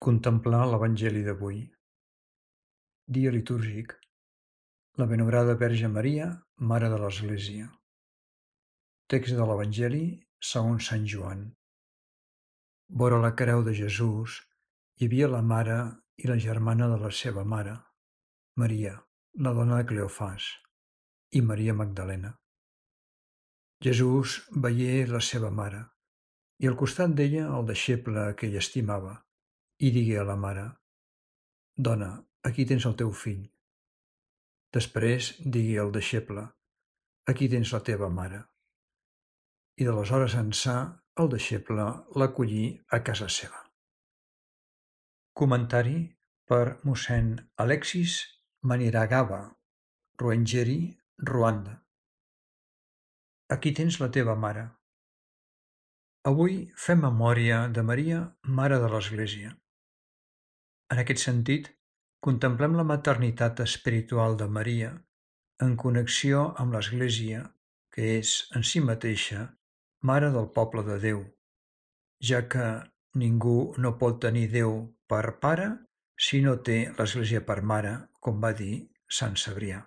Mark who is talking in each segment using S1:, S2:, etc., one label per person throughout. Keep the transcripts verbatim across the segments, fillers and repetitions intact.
S1: Contemplar l'Evangeli d'avui. Dia litúrgic. La Benaurada Verge Maria, Mare de l'Església. Text de l'Evangeli segons Sant Joan. Vora la creu de Jesús hi havia la mare i la germana de la seva mare, Maria, la dona de Cleofàs, i Maria Magdalena. Jesús veié la seva mare, i al costat d'ella el deixeble que ell estimava, i digué a la mare: Dona, aquí tens el teu fill. Després digué al deixeble: Aquí tens la teva mare. I d'aleshores ençà el deixeble l'acollí a casa seva. Comentari per mossèn Alexis Maniragaba, Ruengeri, Ruanda. Aquí tens la teva mare. Avui fem memòria de Maria, Mare de l'Església. En aquest sentit, contemplem la maternitat espiritual de Maria en connexió amb l'Església, que és, en si mateixa, Mare del poble de Déu, ja que ningú no pot tenir Déu per pare si no té l'Església per mare, com va dir Sant Cebrià.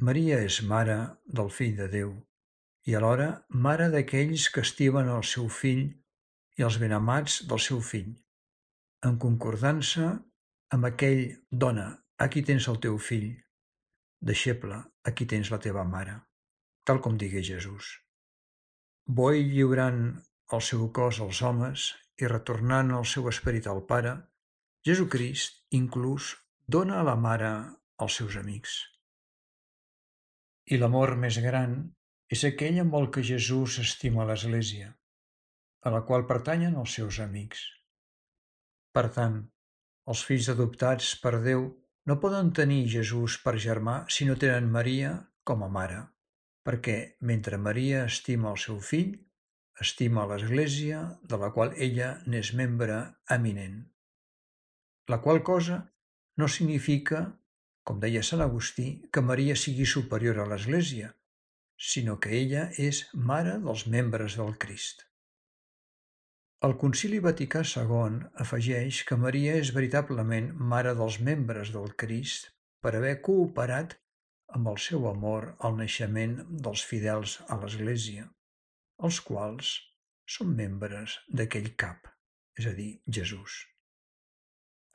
S1: Maria és mare del Fill de Déu i alhora mare d'aquells que estimen el seu fill i els benamats del seu fill, en concordança amb aquell dona, aquí tens el teu fill, deixeble, aquí tens la teva mare, tal com digué Jesús. Boi lliurant el seu cos als homes i retornant el seu esperit al Pare, Jesucrist inclús dona a la mare als seus amics. I l'amor més gran és aquell amb el que Jesús estima l'Església, a la qual pertanyen els seus amics. Per tant, els fills adoptats per Déu no poden tenir Jesús per germà si no tenen Maria com a mare, perquè mentre Maria estima el seu fill, estima l'Església de la qual ella n'és membre eminent. La qual cosa no significa, com deia Sant Agustí, que Maria sigui superior a l'Església, sinó que ella és mare dels membres del Crist. El Concili Vaticà segon afegeix que Maria és veritablement mare dels membres del Crist per haver cooperat amb el seu amor al naixement dels fidels a l'Església, els quals són membres d'aquell cap, és a dir, Jesús.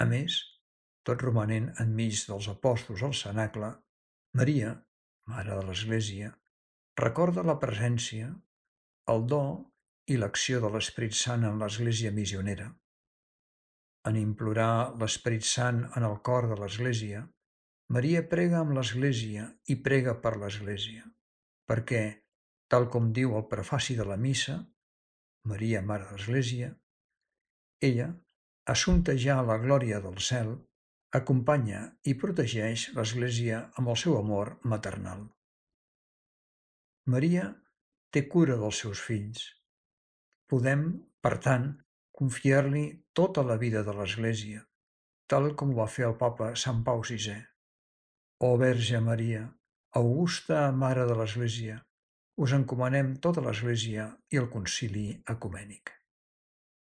S1: A més, tot romanent enmig dels apòstols al cenacle, Maria, Mare de l'Església, recorda la presència, el do i l'acció de l'Esperit Sant en l'Església missionera. En implorar l'Esperit Sant en el cor de l'Església, Maria prega amb l'Església i prega per l'Església, perquè, tal com diu el prefaci de la missa, Maria, Mare de l'Església, ella, assumpta ja a la glòria del cel, acompanya i protegeix l'Església amb el seu amor maternal. Maria té cura dels seus fills. Podem, per tant, confiar-li tota la vida de l'Església, tal com ho va fer el papa Sant Pau sisè. Ó Verge Maria, augusta Mare de l'Església, us encomanem tota l'Església i el Concili Ecumènic.